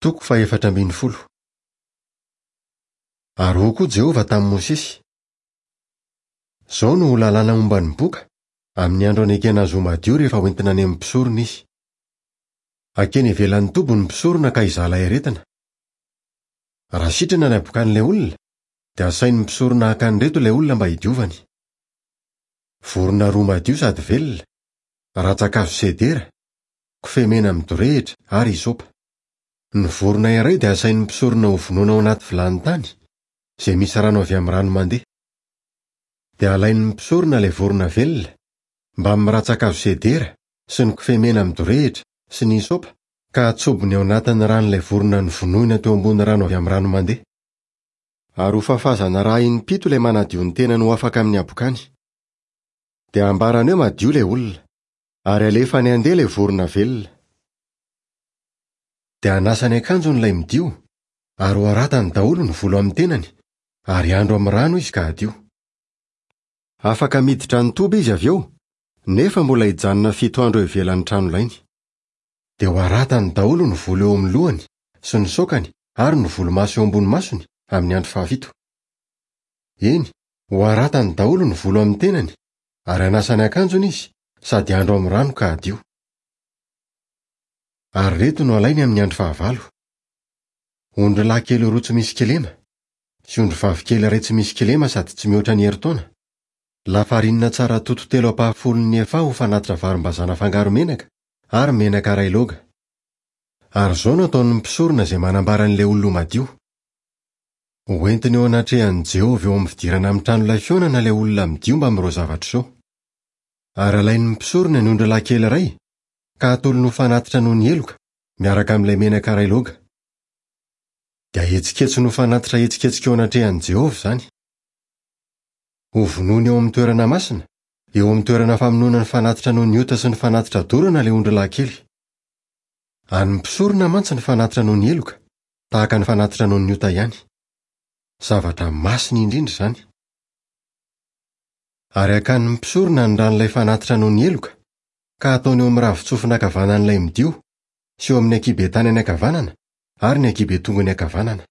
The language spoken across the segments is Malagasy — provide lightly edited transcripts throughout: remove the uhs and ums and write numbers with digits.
Toko fahefatra ambin'ny folo. Ary hoy koa Jehovah tamin'i Mosesy, Izao no ho lalàna momba ny boka, amin'ny andro anekena azy ho madio rehefa hoentina any amin'ny mpisorona izy. Hakeny ivelan'ny toby ny mpisorona ka hizaha ilay aretina. Raha sitrana ny habokan'ilay olona, dia asain'ny mpisorona haka an'ireto ilay olona mba hidiovany. Vorona roa madio sady velona, rantsan-kazo sedera, kofehy mena midorehitra ary hysopa. Ny vorona iray dia asain'ny mpisorona hovonoina ao anaty vilany tany, izay misy rano avy amin'ny rano mandeha. Dia alain'ny mpisorona ilay vorona velona, mbamin'ny rantsan-kazo sedera sy ny kofehy mena midorehitra sy ny hysopa, ka atsobony ao anatin'ny ran'ilay vorona novonoina teo ambony rano avy amin'ny rano mandeha. Ary hofafazana rà impito ilay manadio ny tenany ho afaka amin'ny habokany. Dia hambarany hoe madio ilay olona. Ary alefany handeha ilay vorona velona. Dia hanasa ny akanjony ilay midio, ary ho haratany daholo ny volo amin'ny tenany, ary handro amin'ny rano izy ka hadio. Afaka miditra ny toby izy avy eo, nefa mbola hijanona fito andro eo ivelan'ny tranolainy. Dia ho haratany daholo ny volo eo amin'ny lohany, sy ny saokany, ary ny volomaso eo ambony masony, amin'ny andro fahafito. Eny, ho haratany daholo ny volo amin'ny tenany, ary hanasa ny akanjony izy, sady handro amin'ny rano ka hadio. Ary ireto no alainy amin'ny andro fahavalo, Ondrilahy kely roa tsy misy kilema, sy ondrivavy kely iray tsy misy kilema sady tsy mihoatra ny herintaona, lafarinina tsara toto telo ampahafolon'ny efaha ho fanatitra varimbazaha nafangaro menaka, ary menaka iray loga. Ary izao no ataon'ny mpisorona izay manambara an'ilay olona ho madio, Hoentiny eo anatrehan'i Jehovah eo amin'ny fidirana amin'ny tranolay fihaonana ilay olona midio mbamin'ireo zavatra ireo. Ary alain'ny mpisorona ny ondrilahy kely iray, ka atolony ho fanatitra noho ny heloka, miaraka amin'ilay menaka iray loga. Dia ahetsiketsiny ho fanatitra ahetsiketsika eo anatrehan'i Jehovah izany. Hovonoiny eo amin'ny toerana masina, eo amin'ny toerana famonoana ny fanatitra noho ny ota sy ny fanatitra dorana ilay ondrilahy kely. An'ny mpisorona mantsy ny fanatitra noho ny heloka, tahaka ny fanatitra noho ny ota ihany. Zavatra masina indrindra izany. Ary hakan'ny mpisorona ny ran'ilay fanatitra noho ny heloka, ka hataony eo amin'ny ravin-tsofina ankavanan'ilay midio, sy eo amin'ny ankihiben-tanany ankavanana, ary ny ankihiben-tongony ankavanana.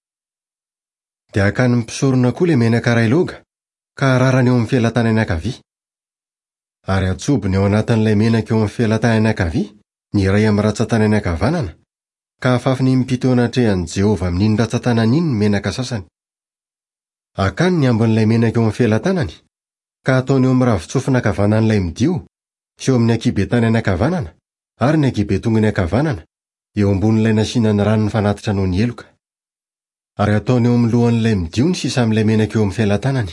Dia hakan'ny mpisorona koa ilay menaka iray loga, ka hararany eo amin'ny felatanany ankavia. Ary hatsobony ao anatin'ilay menaka eo amin'ny felatanany ankavia ny iray amin'ny ratsan-tanany ankavanana, ka hafafiny impito eo anatrehan'i Jehovah amin'iny ratsan-tanany iny ny menaka sasany. Hakany ny ambin'ilay menaka eo amin'ny felatanany, ka hataony eo amin'ny ravin-tsofina ankavanan'ilay midio, sy eo amin'ny ankihiben-tanany ankavanana, ary ny ankihiben-tongony ankavanana, eo ambonin'ilay nasiana ny ran'ny fanatitra noho ny heloka. Ary hataony eo amin'ny lohan'ilay midio ny sisa amin'ilay menaka eo amin'ny felatanany.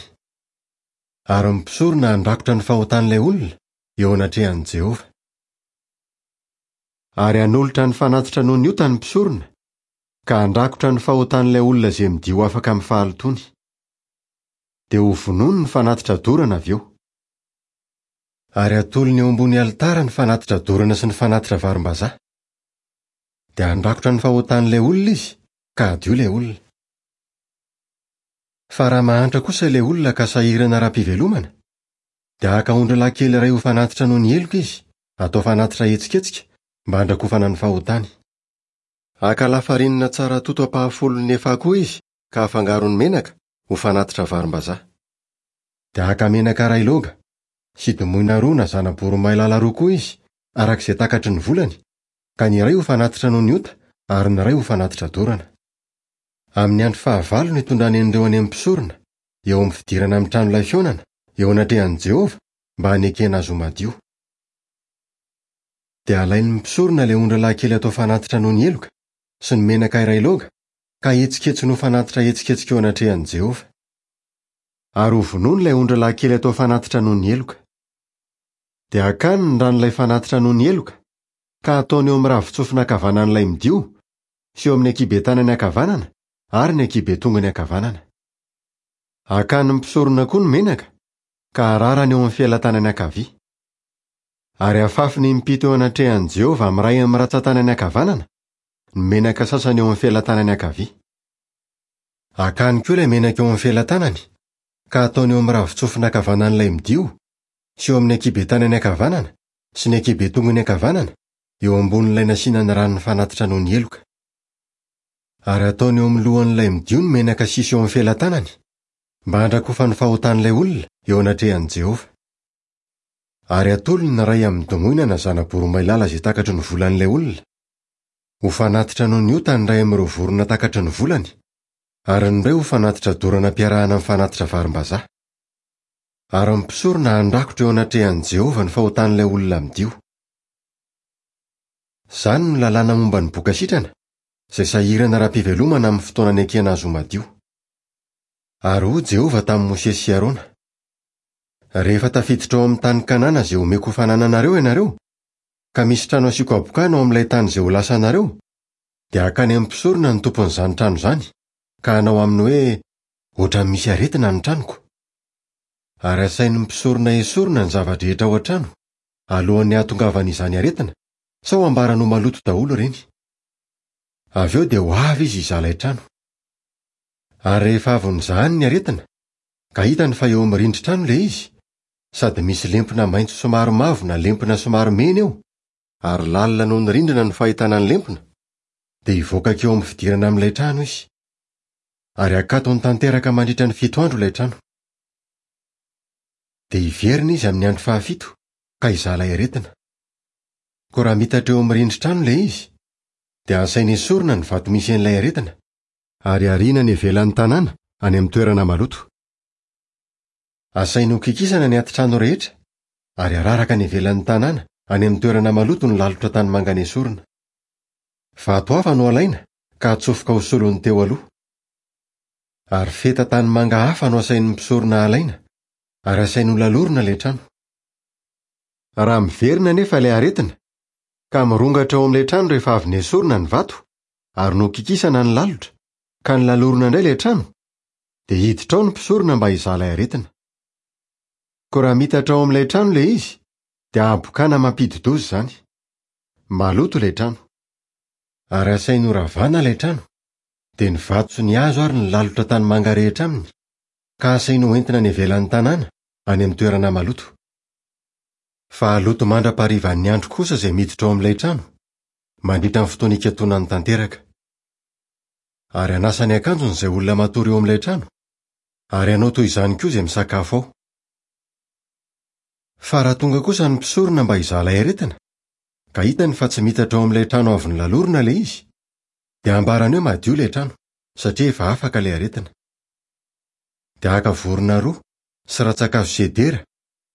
Ary ny mpisorona handrakotra ny fahotan'ilay olona eo anatrehan'i Jehovah. Ary hanolotra ny fanatitra noho ny ota ny mpisorona, ka handrakotra ny fahotan'ilay olona izay midio afaka amin'ny fahalotoany. Dia hovonoiny ny fanatitra dorana avy eo. Ary hatolony eo ambony alitara ny fanatitra dorana sy ny fanatitra varimbazaha. Dia handrakotra ny fahotan'ilay olona izy, ka hadio ilay olona. Fa raha mahantra kosa ilay olona ka sahirana ara-pivelomana, dia haka ondrilahy kely iray ho fanatitra noho ny heloka izy, Atao fanatitra ahetsiketsika mba handrakofana ny fahotany. Haka lafarinina tsara toto ampahafolon'ny efaha koa izy ka hafangarony menaka ho fanatitra varimbazaha. Dia haka menaka iray loga, sy domoina roa na zana-boromailala roa koa izy, araka izay takatry ny volany, ka ny iray ho fanatitra noho ny ota ary ny iray ho fanatitra dorana. Amin'ny andro fahavalo no hitondrany an'ireo any amin'ny mpisorona, eo amin'ny fidirana amin'ny tranolay fihaonana, eo anatrehan'i Jehovah, mba hanekena azy ho madio. Dia alain'ny mpisorona ilay ondrilahy kely atao fanatitra noho ny heloka, sy ny menaka iray loga, ka ahetsiketsiny ho fanatitra ahetsiketsika eo anatrehan'i Jehovah. Ary hovonoiny ilay ondrilahy kely atao fanatitra noho ny heloka. Dia hakany ny ran'ilay fanatitra noho ny heloka, ka hataony eo amin'ny ravin-tsofina ankavanan'ilay midio, sy eo amin'ny ankihiben-tanany ankavanana, ary ny ankihiben-tongony ankavanana. Hakan'ny mpisorona koa ny menaka, ka hararany eo amin'ny felatanany ankavia. Ary hafafiny impito eo anatrehan'i Jehovah amin'ny iray amin'ny rantsantanany ankavanana, ny menaka sasany eo amin'ny felatanany ankavia. Hakany koa ilay menaka eo amin'ny felatanany, ka hataony eo amin'ny ravin-tsofina ankavanan'ilay midio, sy eo amin'ny ankihiben-tanany ankavanana, sy ny ankihiben-tongony ankavanana, eo ambonin'ilay nasiana ny ran'ny fanatitra noho ny heloka. Ary hataony eo amin'ny lohan'ilay midio ny menaka sisa eo amin'ny felatanany, mba handrakofany fahotan'ilay olona eo anatrehan'i Jehovah. Ary hatolony ny iray amin'ny domoina na zana-boromailala izay takatry ny volan'ilay olona, ho fanatitra noho ny ota ny iray amin'ireo vorona takatry ny volany, ary ny iray ho fanatitra dorana ampiarahana amin'ny fanatitra varimbazaha. Ary ny mpisorona handrakotra eo anatrehan'i Jehovah ny fahotan'ilay olona midio. Izany no lalàna momba ny boka sitrana, izay sahirana ara-pivelomana amin'ny fotoana anekena azy ho madio. Ary hoy Jehovah tamin'i Mosesy sy Arona, Rehefa tafiditra ao amin'ny tany Kanana izay homeko ho fanananareo ianareo, ka misy trano asiako habokana ao amin'ilay tany izay ho lasanareo, dia hakany amin'ny mpisorona ny tompon'izany trano izany, ka hanao aminy hoe, 'Hoatran'ny misy aretina ny tranoko. Ary hasain'ny mpisorona esorina ny zava-drehetra ao an-trano, alohan'ny hahatongavan'izany aretina, sao hambarany ho maloto daholo ireny. Avy eo dia ho avy izy hizaha ilay trano. Ary rehefa avy nozahany ny aretina, ka hitany fa eo amin'ny rindrin-trano ilay izy, sady misy lempona maitso somary mavo na lempona somary mena eo, ary lalina noho ny rindrina ny fahitana ny lempona, dia hivoaka hankeo amin'ny fidirana amin'ilay trano izy. Ary hakatony tanteraka mandritra ny fito andro ilay trano. Dia hiverina izy amin'ny andro fahafito ka hizaha ilay aretina. Koa raha mitatra eo amin'ny rindrin-trano ilay izy, dia asainy esorina ny vato misy an'ilay aretina, ary ariana any ivelan'ny tanàna, any amin'ny toerana maloto. Asainy hokikisana ny atitrano rehetra, ary araraka any ivelan'ny tanàna, any amin'ny toerana maloto ny lalotra tanimanga nesorina. Vato hafa no alaina ka atsofoka ho solon'ny teo aloha. Ary feta tanimanga hafa no asain'ny mpisorona alaina, ary asainy holalorina ilay trano. Raha miverina anefa ilay aretina, ka mirongatra ao amin'ilay trano rehefa avy nesorina ny vato, ary nokikisana ny lalotra, ka nolalorina indray ilay trano, dia hiditra ao ny mpisorona mba hizaha ilay aretina. Koa raha mitatra ao amin'ilay trano ilay izy, dia habokana mampidi-doza izany. Maloto ilay trano. Ary asainy horavana ilay trano, dia ny vato sy ny hazo ary ny lalotra tanimanga rehetra aminy, ka asainy hoentina any ivelan'ny tanàna, any amin'ny toerana maloto. Fa haloto mandra-paharivan'ny andro kosa izay miditra ao amin'ilay trano, mandritra ny fotoana ikatonany tanteraka. Ary hanasa ny akanjony izay olona matory eo amin'ilay trano, ary hanao toy izany koa izay misakafo ao. Fa raha tonga kosa ny mpisorona mba hizaha ilay aretina, ka hitany fa tsy mitatra ao amin'ilay trano avy nolalorina ilay izy, dia hambarany hoe madio ilay trano, satria efa afaka ilay aretina. Dia haka vorona roa, sy rantsankazo sedera,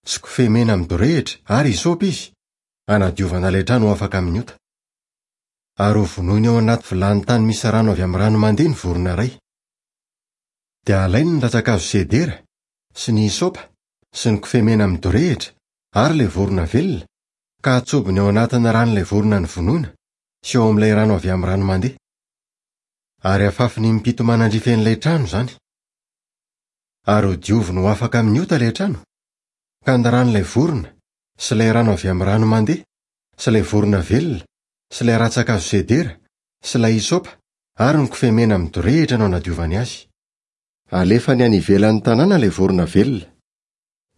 sy kofehy mena midorehitra ary hysopa izy, hanadiovana ilay trano ho afaka amin'ny ota. Ary hovonoiny ao anaty vilany tany misy rano avy amin'ny rano mandeha ny vorona iray. Dia halainy ny rantsankazo sedera, sy ny hysopa, sy ny kofehy mena midorehitra, ary ilay vorona velona, ka hatsobony ao anatin'ny ran'ilay vorona novonoina, sy ao amin'ilay rano avy amin'ny rano mandeha. Ary hafafiny impito manandrify an'ilay trano izany. Ary hodioviny ho afaka amin'ny ota ilay trano, ka ny ran'ilay vorona, sy ilay rano avy amin'ny rano mandeha, sy ilay vorona velona, sy ilay rantsankazo sedera, sy ilay hysopa, ary ny kofehy mena midorehitra no anadiovany azy. Alefany any ivelan'ny tanàna ilay vorona velona.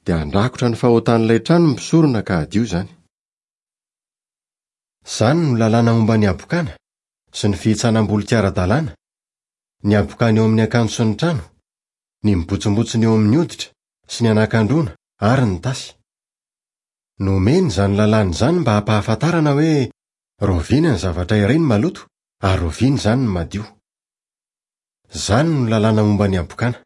Dia handrakotra ny fahotan'ilay trano ny mpisorona ka hadio izany. Izany no lalàna momba ny habokana, sy ny fihintsanam-boloky ara-dalàna, ny habokana eo amin'ny akanjo sy ny trano, ny mibontsimbontsina eo amin'ny hoditra, sy ny anakandroana ary ny tasy. Nomena izany lalàna izany mba hampahafantarana hoe rahoviana ny zavatra iray no maloto ary rahoviana izany no madio. Izany no lalàna momba ny habokana.